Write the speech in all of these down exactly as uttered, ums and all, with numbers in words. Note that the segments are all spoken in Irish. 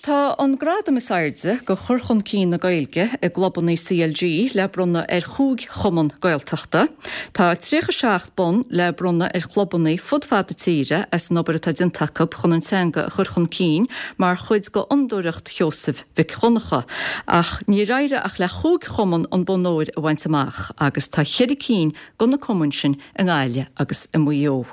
tá an gradam is airde do chur chun cinn na Gaeilge i gclubanna C L G le bronnadh ar chúig chumann Gaeltachta. Tá tríocha seacht bonn le bronnadh ar chlubanna fud fad na tíre as an obair atá déanta acu chun an teanga a chur chun cinn mar chuid de Fhondúireacht Sheosaimh Mhic Dhonncha. Ach níor éirigh ach le chúig chumann an bonn óir a bhaint amach agus tá ceithre cinn de na cumainn sin i nGaillimh agus i Maigh Eo.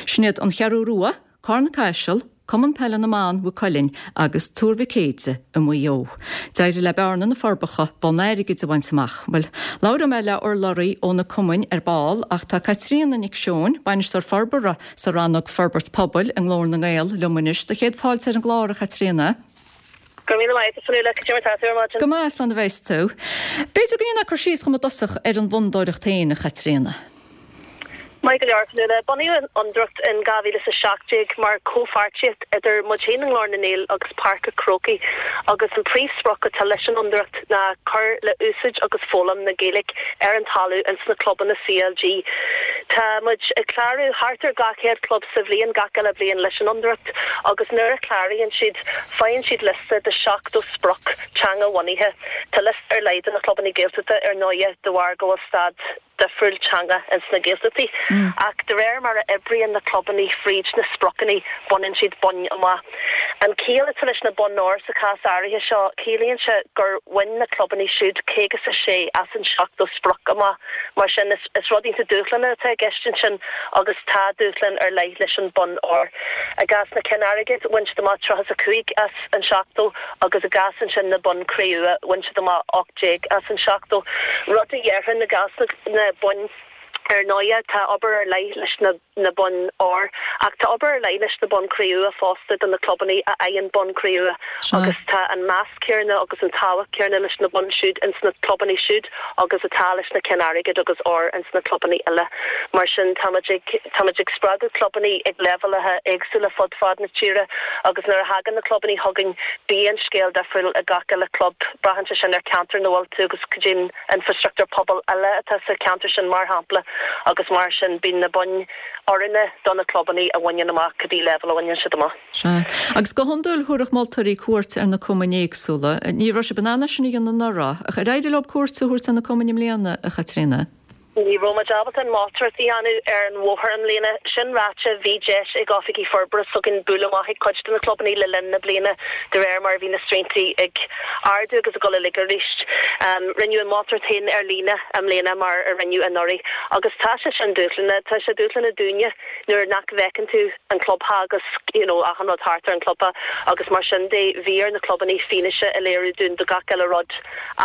Sin iad an Cheathrú Rua, Carna Caiseal, Cumann Peile na mBan Mhaigh Cuilinn agus Tuar Mhic Éide i Maigh Eo. D'éirigh le Bearna na Forbacha bonn airgid a bhaint amach. Well, labhróidh mé le urlabhraí ó na cumainn ar ball ach tá Caitríona Nic Seoin, bainisteoir forbartha sa rannóg Forbairt Pobail i nGlór na nGael liom anois do chéad fáilte ar an gclár, a Chaitríona. Go míle maith Fionnuala, cad é mar tá tú ar maidin. Go maith, slán a bheas tú. B'fhéidir go ndéanfá cur síos dhom i dtosach ar an bhfondúireacht féin, a Chaitríona. Maith go leor, Fionnuala. Bunaíodh an Fhondúireacht in dhá mhíle is a seacht déag mar comhpháirtíocht idir muid féin i nGlór na nGael agus Páirc an Chrócaigh agus an príomhsprioc atá leis an Fhondúireacht ná cur le úsáid agus foghlaim na Gaeilge ar an talamh ins na clubanna C L G. Tá muid ag clárú thart ar dhá chéad club sa bhliain gach uile bliain leis an Fhondúireacht agus nuair a chláraíonn siad faigheann siad liosta de seachtó sprioc teanga-bhunaithe. Tá liosta ar leith do na clubanna Gaeltachta ar ndóigh de bharr go bhfuil staid difriúil teanga ins na Gaeltachtaí. Ach de réir mar a oibríonn na clubanna fríd na spriocanna baineann siad boinn amach. An ciall atá leis na boinn óir sa chás áirithe seo ciallaíonn sé gur bhain na clubanna siúd caoga is a sé as an seachtó sprioc amach mar sin is, is rud iontach dúshlánach atá i gceist ansin agus tá dúshlán ar leith leis an bonn óir. I gcás na cinn airgid bhain siad amach tríocha a cúig as an seachtó agus i gcás ansin na bonn cré-umha bhain siad amach ocht déag as an seachtó. Rud a dhéarfainn i gcás na, na boinn ar ndóigh tá obair ar leith leis na na boinn óir ach tá obair ar leith leis na boinn cré-umha fosta do na clubanna a fhaigheann bonn cré-umha agus tá an meas céanna agus an tábhacht céanna leis na boinn siúd ins na clubanna siúd agus atá leis na cinn airgid agus óir ins na clubanna eile. Mar sin táimid ag táimid ag spreagadh clubanna ag leibhéalacha éagsúla fud fad na tíre agus nuair a thagann na clubanna chugainn bíonn scéal difriúil ag gach uile club braitheann sé sin ar cheantar ina bhfuil tú agus cad é an infrastruchtúr pobail eile atá sa cheantar sin mar shampla agus mar sin bíonn na boinn oiriúnach do na clubanna a bhaineann amach cibé leibhéal a bhaineann siad amach. Sea. Agus go hiondúil thabharfadh moltóirí cuairt ar na cumainn éagsúla. Ní raibh sibh in ann sin a dhéanamh anuraidh, ach ar éirigh libh cuairt a thabhairt ar na cumainn i mbliana, a Chaitríona. Ní raibh muid ábalta an mholtóireacht a dhéanamh ar an bhóthar i mbliana. Sin ráite bhí deis ag oifigigh forbartha s'againn bualadh amach ag cuid de na clubanna le linn na bliana de réir mar bhí na srianta ag ardú agus ag dul i laghad arís. Um, rinneadh an mholtóireacht féin ar líne i mbliana mar a rinneadh anuraidh. Agus tá sé sin dúshlánach, tá sé dúshlánach dúinne nuair nach bhfeiceann tú an clubtheach agus you know, achan rud thart ar an clubtheach agus mar sin de bhí ar na clubanna fianaise a léiriú dúinn do gach uile rud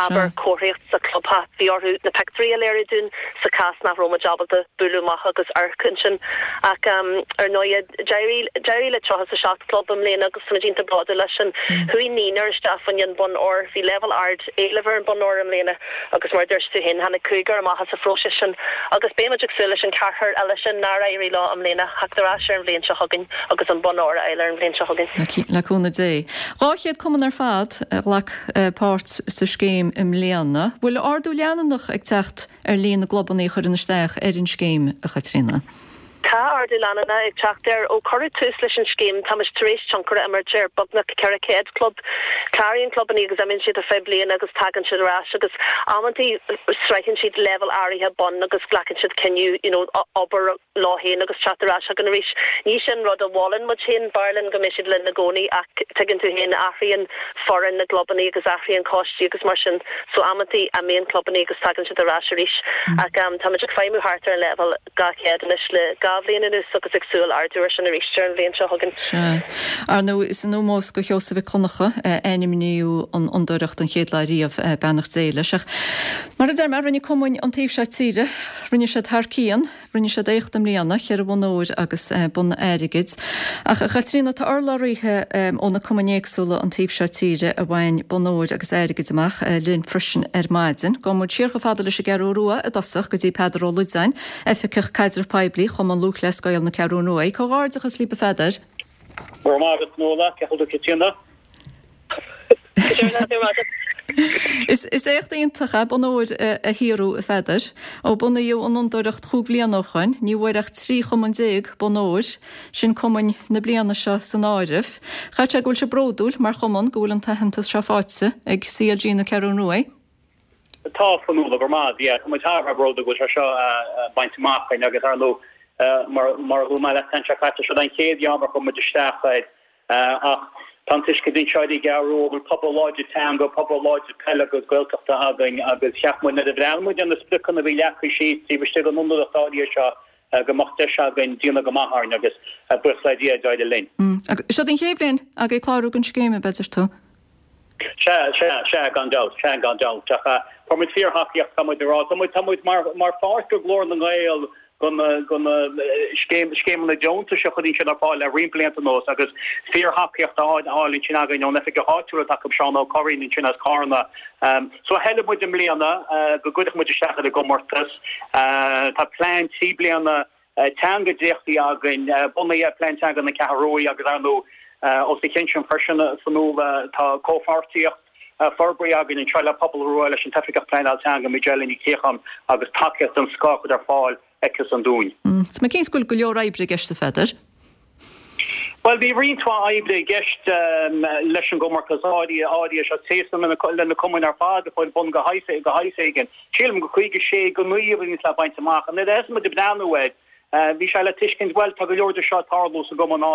abair comharthaíocht sa clubtheach bhí orthu na pictiúirí a léiriú dúinn sa chás nach raibh muid ábalta bualadh amach agus amharc ansin ach um, ar ndóigh d'éirigh le tríocha a seacht club i mbliana agus tá iontach bródúil leis sin chuaigh naonúr isteach faoin an bonn óir bhí leibhéal ard éilimh ar an bonn óir i mbliana agus mar dúirt tú féin tháinig cúigear amach as an phróiseas sin agus beimid ag súil leis an ceathrar eile sin nár éirigh leo i mbliana theacht ar ais ar an bhliain seo chugainn agus an bonn óir a fháil ar an bhliain seo chugainn. Le cúnamh Dé. Dhá chéad cumann ar fad a ghlac páirt sa scéim i mbliana, bhfuil ardú leanúnach ag teacht ar líon na gclubanna a chuireann isteach ar an scéim, a Chaitríona. Tá ardú leanúnach ag teacht air ó cuireadh tús leis an scéim táimid tar éis tionchar a imirt ar beagnach ceithre chéad club. Cláraíonn clubanna agus imíonn siad ar feadh bliana agus tagann siad ar ais agus amantaí sroicheann siad leibhéal áirithe bonn agus glacann siad cinneadh you know, obair leo féin agus teacht ar ais chugainn arís. Ní sin rud a mholann muid féin b'fhearr linn go mbeidh siad linn i gcónaí ach tuigeann tú féin athraíonn foireann na gclubanna agus athraíonn coistí agus mar sin so amantaí imíonn clubanna agus tagann siad ar ais arís. Ach um, táimid ag feidhmiú thart ar an leibhéal dhá chéad anois le dhá bhliain anuas agus ag súil ardú air sin arís ar an bhliain seo chugainn. Sea. Ar ndóigh is in ómós do Sheosamh Mhic Dhonncha ainmníodh an fhondúireacht an chéad lá riamh beannacht Dé leis. Ach mar a deir mé rinne cumainn an taobh seo tíre, rinne siad thar cionn, rinne siad éacht i mbliana, ceithre bhonn óir agus bonn airgid. Ach a Chaitríona tá urlabhraithe ó na cumainn éagsúla an taobh seo tíre a bhain bonn óir agus airgid amach linn freisin ar maidin. Gabhfaidh muid siar chomh fada leis an gCeathrú Rua i dtosach go dtí Peadar Ó Loideáin, Oifigeach Caidreamh Poiblí Chumann Lúthchleas Gael na Ceathrún Rua. Comhghairdeachas libh a Pheadair. Go raibh maith agat Nuala, cén chaoi a bhfuil tú? Is is éacht iontach é bonn óir a shaothrú a Pheadair. Ó bunaíodh an Fhondúireacht chúig bhliana ó shoin, ní bhfuair ach trí chumann déag bonn óir, sin cumainn na bliana seo san áireamh. Chaithfeadh sé go bhfuil sibh bródúil mar chumann go bhfuil an t-aitheantas seo faighte ag C L G na Ceathrún Rua. Tá, a Fhionnuala, go maith, yeah, tá muid thar a bheith bródúil go bhfuil sé seo bainte amach againn agus ar ndóigh mar mar a luaigh mé leat an tseachtain seo caite, seo an chéad dream a chuir muid isteach air ach tá an tuiscint anseo i gCeathrú Rua go bhfuil pobal láidir teanga, pobal láidir peile agus Gaeltachta againn agus cheap muid nuair a bhreathnaigh muid ar na spriocanna a bhí leagtha síos taobh istigh den Fhondúireacht áirithe seo go mbeadh deis againn déanamh go maith orainn agus buíochas le Dia d'éirigh linn. Agus seo an chéad bhliain agaibh clárú don scéim, ab ea, deir tú? Sea, sea, sea, gan dabht, sea, gan dabht. Ach fuair muid fíorthacaíocht, tá muid ag rá, tá muid, tá muid mar, mar pháirt de Ghlór na nGael, de na, de na scéim, scéimeanna deontais a chuireann siad ar fáil le roinnt blianta anuas agus fíorthacaíocht á fháil ansin againn ón oifigeach áitiúil atá acu, Seán Ó Curraoin ansin as Carna. So thoiligh muid i mbliana go gcuirfeadh muid isteach ar an gcomórtas. Tá plean trí bliana teanga dréachtaithe againn, bunaithe ar Phlean Teanga na Ceathrún Rua agus ar ndóigh os a chionn sin freisin a Fhionnuala tá comhpháirtíocht forbartha againn anseo le Pobal Rua leis an tOifigeach Pleanáil Teanga Majella Ní Chiacháin agus tacaíocht den scoth á chur ar fáil aici-san dúinn. Tá mé cinnte go bhfuil go leor oibre i gceist a Pheadair. Bhuel bhí roinnt mhaith oibre i gceist leis an gcomórtas áirithe áirithe seo téasam le na cumainn ar fad a fuair bonn de shaghas éigin. Sílim go caoga sé go naoi a bhí le baint amach. Nuair a thosaigh muid ag breathnú air, bhí sé le tuiscint bhuel tá go leor de seo ag tarlú sa gcumann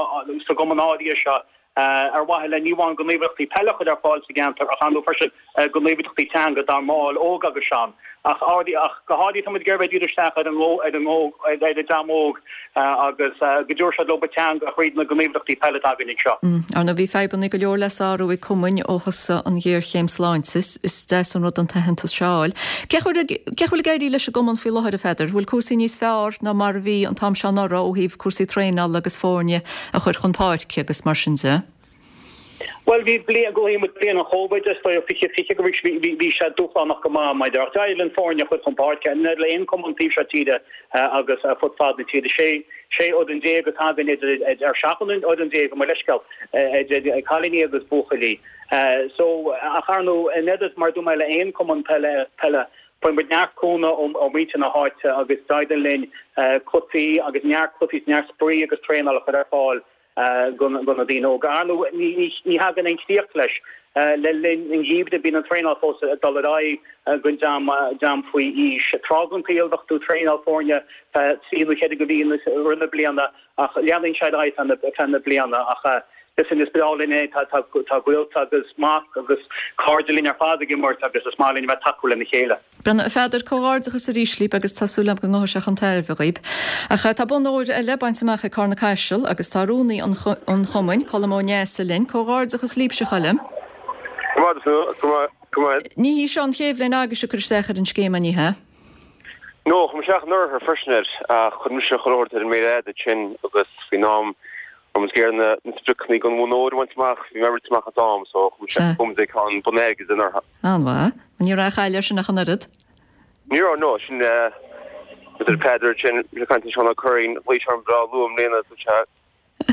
sa gcumann áirithe seo ar mhaithe le ní amháin gníomhaíochtaí peile a chur ar fáil sa gceantar ach ar ndóigh freisin gníomhaíochtaí teanga dár mbaill óga agus sean. Ach ach go háirithe tá muid ag iarraidh díriú isteach ar an ar an ar an dream óg agus go dtabharfaidh siad leo an teanga thríd na gníomhaíochtaí peile atá againn anseo. Ar ndóigh bhí fadhbanna go leor le sárú ag cumainn ó thosaigh an ghéarchéim sláinte, is deas an rud an t-aitheantas seo a fháil. Cén chaoi a bhfuil ag éirí leis an gcumann faoi láthair a Pheadair? Bhfuil cúrsaí níos fearr ná mar a bhí an t-am seo anuraidh ó thaobh cúrsaí traenála agus foirne a chur chun páirce agus mar sin de? Well bhí bliain go muid bliain an Covid is dóigh fiche fiche go bhí bhí sé dúshlánach go maith maidir ach d'éirigh linn foirne a chur chun páirce le aon cumann taobh seo tíre agus fud fad na tíre sé sé fhoireann déag atá againn idir ar seacht fhoireann déag mo leithscéal idir cailíní agus buachaillí. So ach ar ndóigh in éad mar dúirt mé le aon cumann peile peile Fuair muid neart cúnamh ó mhuintir na háite agus d'éirigh linn cluichí agus neart cluichí neart spraoi agus traenáil a chur ar fáil do na daoine óga. Ar ndóigh ní thagann aon chríoch leis le linn an gheimhridh bíonn an traenáil fós ag dul ar aghaidh don dream dream faoi aois. Tráth den tsaol bheadh tú ag traenáil foirne trí nó ceithre mhí i rith na bliana ach leanann sé ar aghaidh feadh na bliana ach listen is breá linn é tá tá gaolta agus mac agus cairde linn ar fad ag imirt agus is maith linn a bheith ag tacú lena chéile. Brenna, a Pheadair, comhghairdeachas arís libh agus tá súil agam go ngabhfaidh sé chun tairbhe dhaoib. Ach tá bonn óir eile bainte amach ag Carna Caiseal agus tá rúnaí an chumainn, Colm Ó Neasa linn, comhghairdeachas libhse a Choilm. Ní hí seo an chéad bhliain agaibhse ag cur isteach ar an scéim an ea? No, chuir muid isteach anuraidh freisin air ach chuir mise chuile shórt ar an méar fhada ansin agus faoin am a raibh muid ag iarraidh na spriocanna don bhonn óir a bhaint amach, bhí mé rite amach as am so chuir mise chuir muid ag an bonn airgid anuraidh. An-mhaith. Ní raibh caill air sin ach an oiread? Ní raibh, no, sin idir Peadar sin le caint Seán Ó Curraoin, ghlaoigh sé orm breá luath i mbliana dúirt sé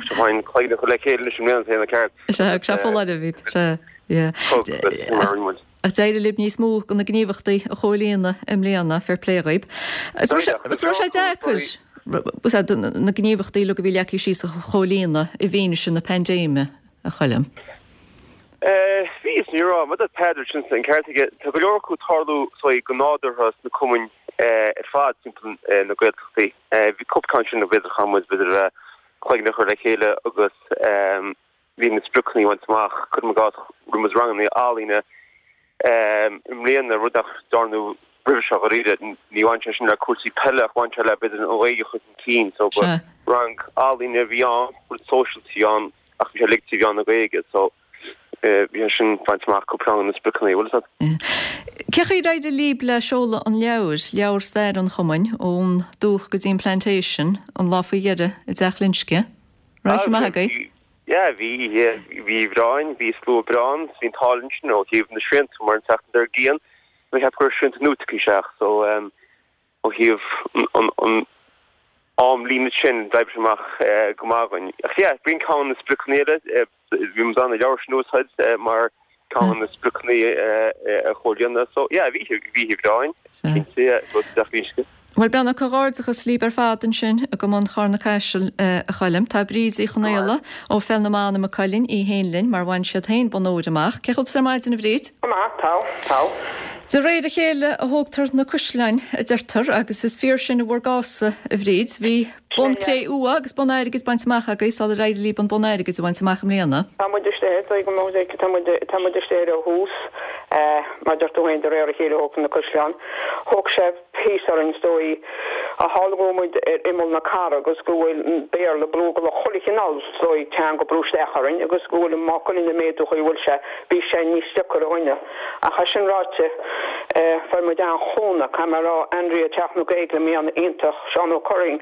seo fáin cloigne a chur le chéile anois i mbliana tá an ceart. Sea, agus sé foláireamh iad, sea, yeah. Thug, agus mar a rinne muid. Ach d'éirigh libh níos mó de na gníomhaíochtaí a chomhlíonadh i mbliana, fair play dhaoib. Is raibh sé deacair na gníomhaíochtaí uilig a bhí leagtha síos a chomhlíonadh i bhfianaise na paindéime, a Choilm? Bhí is ní raibh. Mar a dúirt Peadar sin an ceart aige. Tá go leor acu ag tarlú go nádúrtha sna cumainn ar fad timpeall na Gaeltachtaí. Bhí cúpla ceann sin b'fhéidir chaith muid b'fhéidir cloigne a chur le chéile agus bhí na spriocanna a bhaint amach. Cuirim i gcás, rinne muid ranganna ealaíne i mbliana, rud nach ndearnadh roimhe seo dháiríre. Ní bhain sé sin le cúrsaí peile ach bhain sé le b'fhéidir an Ghaeilge a chur chun cinn. So ba rang ealaíne a bhí ann, rud sóisialta a bhí ann ach bhí sé uilig trí mheán na Gaeilge. So bhí sé sin bainte amach cúpla ceann de na spriocanna, bhfuil fhios agat. Cén chaoi ar éirigh libh le seoladh an leabhair, leabhar stair an chumainn, ón dúch go dtí an Plantation, an lá faoi dheireadh i dTeach Loinsce? Raibh oíche maith agaibh? Yeah, bhí oíche, bhí breá againn, bhí slua breá ann, bhí an t-ádh linn sin ó thaobh na srianta mar an tseachtain dár gcionn, bhí ceap go raibh srianta nua tagtha isteach so ó thaobh an an amlíne sin d'oibrigh sé amach go maith dhúinn. Ach yeah, b'in ceann de na spriocanna eile, bhí muid an leabhar sin a úsáid mar ceann de na spriocanna a chomhlíonadh. So yeah, bhí bhí sé breá, cinnte, yeah, rud deas uisce. Bhuel, Breandán, comhghairdeachas libh ar fad ansin i gCumann Charna Caiseal, a Choilm. Tá Bríd Uí Chonaola ó Pheil na mBan i Maigh Cuilinn í féin linn mar bhain siad féin bonn óir amach. Cén chaoi a bhfuil tú ar maidin, a Bhríd? Go maith, tá, tá. De réir a chéile a thógtar na caisleáin, a deirtear, agus is fíor sin i bhur gcás-sa, a Bhríd. Bhí bonn cré-umha agus bonn airgid bainte amach agaibh sular éirigh libh an bonn airgid a bhaint amach i mbliana. Tá muid istigh air, dóigh go mbeidh, tá muid, tá muid istigh air ó thús. Mar a deir tú féin, de réir a chéile a thógtar na caisleáin. Thóg sé píosa orainn, is dóigh, a fháil go raibh muid ar imeall na cathrach agus go bhfuil an Béarla ag brú, go bhfuil chuile chineál, is dóigh, teanga ag brú isteach orainn agus go bhfuil Maigh Cuilinn ag méadú chaoi a bhfuil sé, bhí sé níos deacair dhúinne. Ach é sin ráite, fuair muid an-chúnamh, caithfidh mé a rá, Andrea Teach na Gaeilge i mbliana, iontach, Seán Ó Curraoin,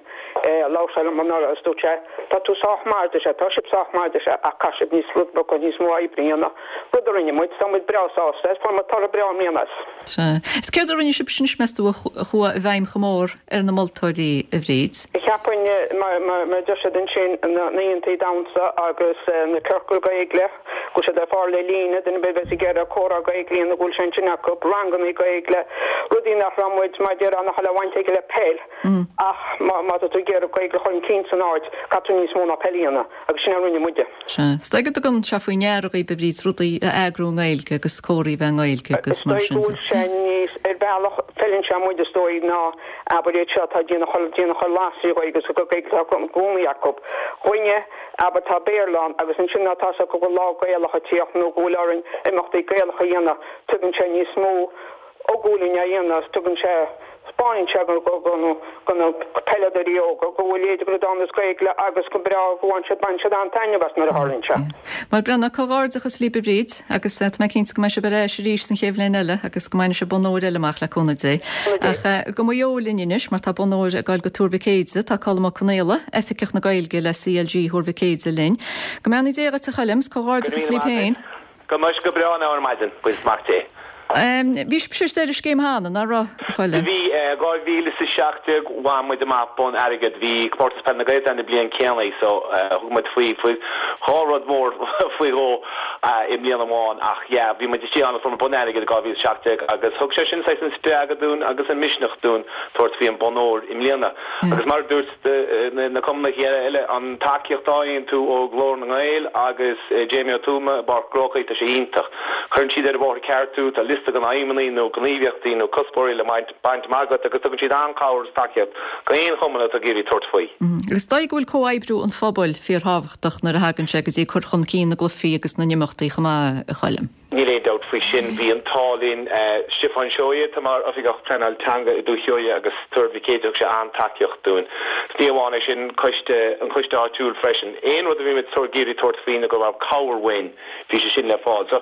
labhair sé liom anuraidh agus dúirt sé, tá tú sách maith, a deir sé, tá sibh sách maith, a deir sé, ach caithfidh sibh níos rud beag níos mó oibre a dhéanamh. Rud a rinne muid, tá muid breá sásta as, fuair muid toradh breá i mbliana as. Sea. Is céard a rinne sibh anois, meas tú, a chuaigh i bhfeidhm chomh mór ar na moltóirí, a Bhríd? Cheapfainn, mar a deir siad ansin, na hoícheantaí damhsa agus na ciorcail Gaeilge, go bhfuil siad ar fáil ar líne, duine ar bith a bheas ag iarraidh comhrá Gaeilge a dhéanamh go bhfuil sé ansin acu, rangannaí Gaeilge, rudaí nach raibh muid, mar a déarfá, nach raibh baint aige le peil ach má tá tú ag iarraidh Gaeilge a chur chun cinn san áit, caithfidh tú níos mó ná peil a dhéanamh agus sin a rinne muide. Sea. Is dóigh go dtugann sé faoi ndeara dhaoibh, a Bhríd, rudaí a eagrú i nGaeilge agus comhraí a bheith i nGaeilge agus Is mar dóigh sin go de. bhfuil sé níos, ar bhealach, feileann sé muid is dóigh ná abair iad seo atá ag déanamh chuile, déanamh chuile lá trí Ghaeilge agus gur Gaeilge atá i gcónaí acu. Dhúinne, abair, tá Béarla ann agus ansin má tá a fhios acu go bhfuil lá Gaelach ag tíocht nó go bhfuil orainn imeachtaí Gaelacha a dhéanamh, tugann sé níos mó uainne a dhéanamh agus tugann sé, 'spáineann sé go na peileadóirí óga go bhfuil éide go dán is Gaeilge agus go breá go bhfaigheann siad, baineann siad an-taitneamh as nuair a tharlaíonn sé. Bhuel, Breandán, comhghairdeachas libh a Bhríd agus tá mé cinnte go mbeidh sibh ar ais arís san chéad bhliain eile agus go mbainfidh sibh bonn óir eile amach le cúnamh Dé. Ach go Maigh Eo linn anois mar tá bonn óir ag dul go Tuar Mhic Éide, tá Colm Ó Conaola, Oifigeach na Gaeilge le CLG Thuar Mhic Éide linn. Go mbeannaí Dé dhuit a Choilm, 's comhghairdeachas libh féin. Go mbeidh go breá now ar maidin, buíochas maith Dé. Bhí sibhse istigh ar an scéim cheana, nach raibh, a Choilm? Bhí, dhá mhíle is a seacht déag bhain muid amach bonn airgid, bhí Comórtas Peile na Gaeltachta an bhliain céanna so thug muid faoi faoi dhá rud mór faoi dhó i mbliain amháin ach yeah bhí muid istigh ann agus fuair muid bonn airgid i dhá mhíle is a seacht déag agus thug sé sin saghas an spreagadh dúinn agus an misneach dúinn tabhairt faoi an bonn óir i mbliana agus mar a dúirt na cumannaithe eile, an tacaíocht a fhaigheann tú ó Ghlór na nGael agus Jamie Ó Tuama i bPáirc an Chrócaigh, tá sé iontach. Cuireann siad ar an bhóthar ceart thú, tá liosta den aidhmeanna nó gníomhaíochtaí nó cuspóirí le baint amach agat agus tugann siad an-chabhair agus tacaíocht go aon chumann atá ag iarraidh tabhairt faoi. Agus is dóigh go bhfuil comhoibriú an phobail fíorthábhachtach nuair a thagann sé go dtí cur chun cinn na gcluichí agus na n-imeachtaí chomh maith, a Choilm. Níl aon dabht faoi sin. Bhí an t-ádh linn. Stiofán Seoighe, atá mar Oifigeach Pleanáil Teanga i Dúiche Sheoigheach agus Tuar Mhic Éide, thug sé an-tacaíocht dúinn. Is ní amháin é sin, coiste, an coiste áitiúil freisin. Aon rud a bhí muid ag iarraidh tabhairt faoi nó go raibh cabhair uainn, bhí sé sin le fáil. So,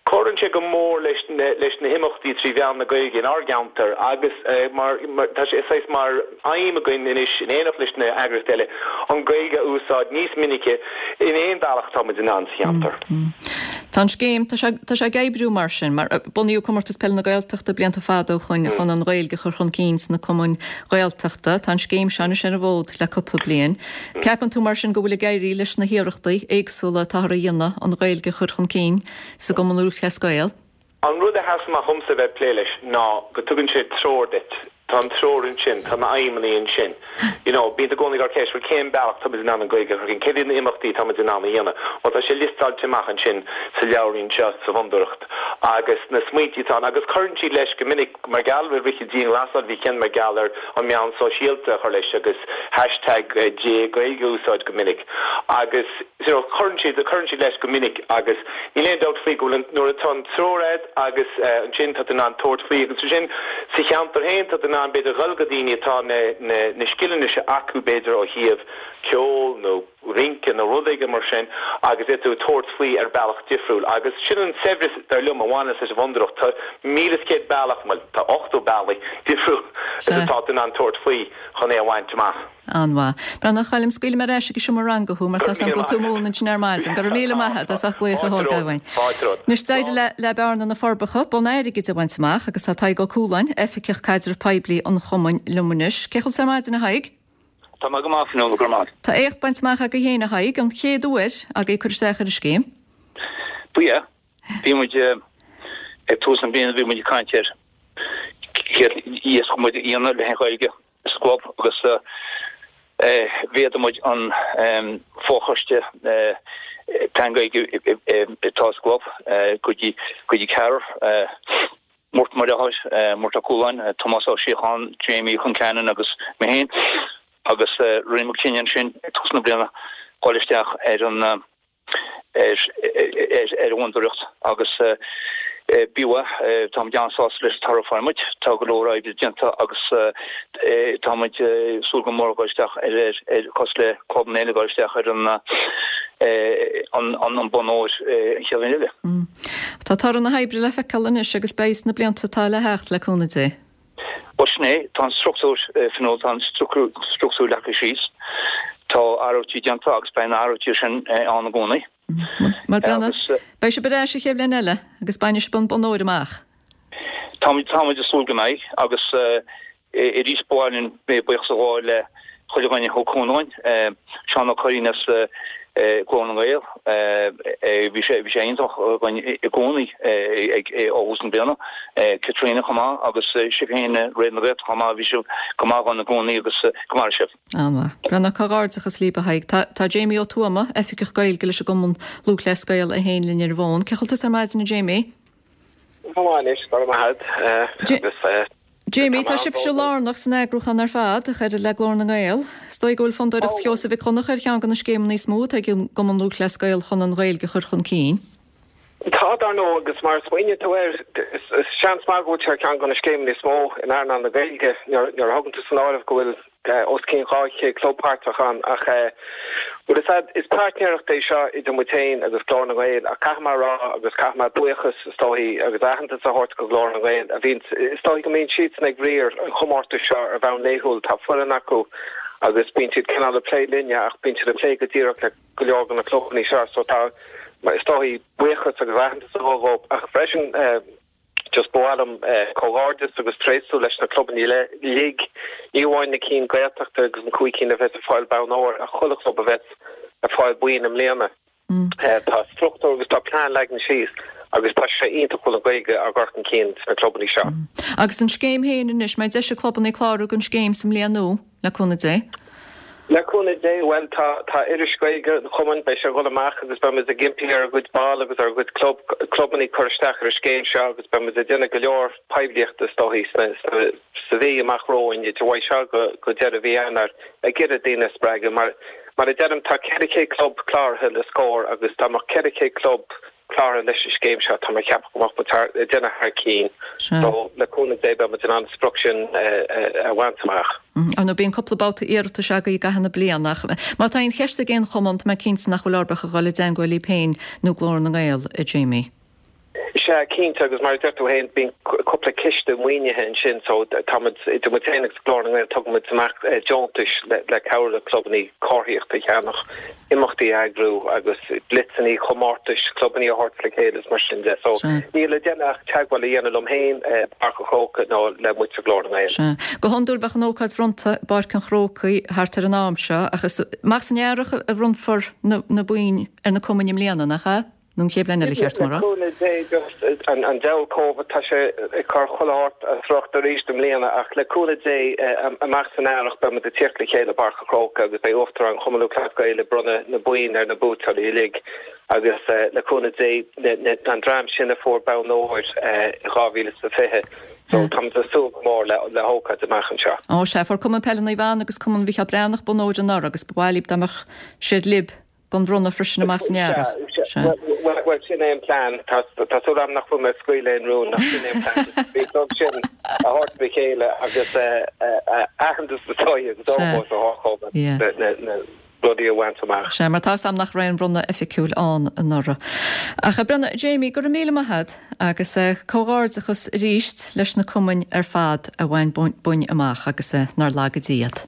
cuireann sé go mór leis na, leis na himeachtaí trí mheán na Gaeilge inár gceantar agus mar, mar, tá sé saghas mar aidhm againn anois, in éineacht leis na heagraíochtaí eile, an Ghaeilge a úsáid níos minice in aon bhealach atá muid in ann sa cheantar. Tá an scéim, tá sé, tá sé ag oibriú mar sin, mar bunaíodh Comórtas Peile na Gaeltachta blianta fada ó shoin chun an Ghaeilge a chur chun cinn sna cumainn Ghaeltachta. Tá an scéim seo anois ar an bhfód le cúpla bliain. Ceapann tú mar sin go bhfuil ag éirí leis na hiarrachtaí éagsúla atáthar a dhéanamh an Ghaeilge a chur chun cinn sa gCumann Lúthchleas Gael? An rud a sheas amach dhomsa a bheith ag plé leis ná go dtugann sé treoir duit. Tá an treoir ansin, tá na aidhmeanna ansin. You know, bíonn tú i gcónaí ag cur ceist, bhuel cén bealach tá muid in ann an Ghaeilge a chur chun cinn, céard iad na imeachtaí atá muid in ann a dhéanamh? Bhuel tá sé liostáilte amach ansin sa leabhairín seo sa bhfondúireacht agus na smaointí atá ann agus cuireann siad leis go minic mar gheall ar rith an dianghlasáil bhí ceann mar gheall ar an meán sóisialta a chur leis agus hashtag GAA Gaeilge a úsáid go minic agus you know cuireann siad cuireann siad leis go minic agus níl aon dabht faoi go bhfuil an nuair atá an treoir agat agus ansin tá tú in ann tabhairt faoi agus ansin sa cheantar féin tá tú in ann b'fhéidir dhul go daoine atá na na na scileanna seo acu b'fhéidir ó thaobh ceol nó rince nó rud éigin mar sin agus é tú tabhairt faoi ar bealach difriúil agus sin an saibhreas dar liom a bhaineanns leis an bhfondúireacht tá míle is céad bealach bhuel tá ochtó bealaí difriúil atá tú in ann tabhairt faoi chun é a bhaint amach. An-mhaith. Breandán a Choilm, scaoilfidh mé ar ais ag an seomra ranga thú mar tá 's agam go bhfuil tú ag múineadh ansin ar maidin. Go raibh míle maith agat as ucht glaoch a thógáil uainn. Anois d'éirigh le le Bearna na Forbacha bonn airgid a bhaint amach agus tá Tadhg Ó Cualáin, Oifigeach Caidrimh Poiblí an Chumainn liom anois. Cén chaoi a bhfuil tú ar maidin a Thaidhg? Tá mé go maith, Fionnuala, go raibh maith. Tá éacht bainte amach agaibh féin a Thaidhg, an chéad uair agaibh cur isteach ar an scéim. Ba ea. Bhí muid ag tús na bliana bhí muid ag caint ar céard a d'fhéadfadh muid a dhéanamh le Gaeilge sa gclub agus mhéadaigh muid an fochoiste plean Gaeilge atá sa gclub go dtí go dtí ceathrar, Murt Mac Lionáird, Murt Ó Cualáin, Tomás Ó Síocháin, Jamie Concannon agus mé féin agus rinne muid cinneadh ansin ag tús na bliana dul isteach ar an ar ar an bhfondúireacht agus b'fhiú é. Táimid an-sásta leis an toradh a fuair muid. Tá go leor oibre déanta agus táimid ag súil go mór dul isteach ar ar cosúil le clubanna eile dul isteach ar an an bonn óir an chéad bhliain eile. Tá toradh na hoibre le feiceáil anois agus beidh sna blianta atá le theacht, le cúnamh Dé. Bhuel sin é, tá an struchtúr, Fionnuala, tá an struchtúr leagtha síos, tá athruithe déanta agus beidh na hathruithe sin ann i gcónaí. Mar beidh sibh ar ais an chéad bhliain eile agus bainfidh sibh an bonn óir amach. Táimid táimid ag súil go mbeidh agus arís ba mhaith linn buíochas a ghabháil le chuile dhuine a thug cúnamh dúinn, Seán Ó Curraoin as Glór na nGael, bhí sé bhí sé iontach againn i gcónaí ag ó thús na bliana, Caitríona chomh maith agus sibh féin Raidió na Gaeltachta chomh maith, bhí sibh go maith againn i gcónaí agus go maire sibh. An-mhaith. Breandán, comhghairdeachas libh a Thaidhg. Tá tá Jamie Ó Tuama, Oifigeach Gaeilge leis an gCumann Lúthchleas Gael é féin linn ar an bhfón. Cén chaoi a bhfuil tusa ar maidin a Jamie? Go maith anois, go raibh maith agat. Agus Jamie, tá sibhse lárnach san eagrúchán ar fad, ach oiread le Glór na nGael. Is dóigh go bhfuil Fondúireacht Sheosaimh Mhic Dhonncha ar cheann de na scéimeanna is mó atá ag an gCumann Lúthchleas Gael chun an Ghaeilge a chur chun cinn. Tá, dar ndóigh, agus mar a smaoiníonn tú air, is seans maith go bhfuil sé ar cheann de na scéimeanna is mó in earnáil na Gaeilge nuair a thugann tú san áireamh go bhfuil os cionn dhá chéad club páirteach ann ach bhuel is is páirtnéireacht é seo idir muid féin agus Glór na nGael ach caithfidh mé a rá agus caithfidh mé buíochas is dóigh agus aitheantas a thabhairt go Glór na nGael a bhíonn is dóigh go mbíonn siadsan ag riar an chomórtais seo ar bhonn laethúil tá foireann acu agus bíonn siad cineál ag plé linne ach bíonn siad ag plé go díreach le go leor de na clubanna seo so tá is dóigh buíochas agus aitheantas a dhul dhóibh ach freisin Just ba mhaith liom comhghairdeas agus tréaslú leis na clubanna uilig, ní amháin na cinn Gaeltachta agus na cúig cinn a bheas ag fáil bonn óir ach chuile chlub a bheas ag fáil boinn i mbliana. Tá struchtúr agus tá plean leagtha síos agus tá sé iontach go bhfuil an Ghaeilge á gcur chun cinn sna clubanna seo. Agus an scéim féin anois, mbeidh deis ag clubanna clárú don scéim sa mbliain nua, le cúnamh Dé? Le cúnamh Dé, bhuel, tá, tá iris Gaeilge an Chumainn, beidh sé ag dul amach agus beidh muid ag impí ar ár gcuid ball agus ar ár gcuid club, clubannaí cur isteach ar an scéim seo agus beidh muid ag déanamh go leor poiblíochta is dóigh sna, sna, sa mhí amach romhainn, idir uaidh seo go, go deireadh mhí Eanáir, ag iarraidh daoine a spreagadh. Mar, mar a deirim, tá ceithre chéad club cláraithe le Scór agus dá mbeadh ceithre chéad club cláraithe leis an scéim seo, tá mé ag ceapadh go mbeadh muid thar, ag déanamh thar cinn. So, le cúnamh Dé, beidh muid in ann an sprioc sin a bhaint amach. Ar ndóigh, bíonn cúpla babhta iarratais agaibh i gcaitheamh na bliana, ach má tá aon cheist ag aon chumann, tá mé cinnte nach bhfuil orthu ach a dhul i dteangmháil libh féin nó Glór na nGael, a Jamie. Sea, cinnte, agus mar a deir tú féin, bíonn cúpla ciste maoinithe ansin, so tá muid, idir muid féin agus Glór na nGael, tugann muid amach deontais le cabhrú le clubannaí comharthaíocht a cheannach, imeachtaí a eagrú agus blitzannaí, comórtais, clubannaí a thabhairt le chéile is mar sin de. So níl le déanamh ach teagmháil a dhéanamh liom féin, i bPáirc an Chrócaigh nó le muid sa Ghlór na nGael. Sea. Go hiondúil bheadh an ócáid bhronnta i bPáirc an Chrócaigh thart ar an am seo ach is amach san earrach a bhronnfar na boinn ar na cumainn i mbliana, nach ea? Nó an chéad bhliain eile, cheart dom a rá. Le cúnamh Dé, just an diabhal Covid, tá sé ag cur chuile shórt as riocht arís i mbliana, ach le cúnamh Dé, amach san earrach beidh muid ag tíocht le chéile i bPáirc an Chrócaigh agus beidh Uachtarán Chumann Lúthchleas Gael ag bronnadh na boinn ar na buaiteoirí uilig agus le cúnamh Dé, an dream sin a fuair bonn óir i dhá mhíle is a fiche. So tá muid ag súil go mór le hócáid amach anseo. Ó sea, fuair Cumann Peile Naomh Anna agus Cumann Mhicheál Breathnach bonn óir anuraidh agus ba mhaith libh dá mbeadh siad libh don bhronnadh freisin amach san earrach. Sea. Bhuel, sin é an plean. Tá súil agam nach bhfuil mé ag scaoileadh aon rún, ach sin é an plean. Bhí an club sin a thabhairt le chéile agus aitheantas is dóigh agus ómós a thabhairt dóibh na rudaí a bhaint amach. Sea, mar tá 'fhios a'm nach raibh aon bhronnadh oifigiúil ann anuraidh. Ach a Bhreandáin, Jamie, go raibh míle maith a'd agus comhghairdeachas arís leis na cumainn ar fad a bhain boinn amach agus nár laga Dia iad.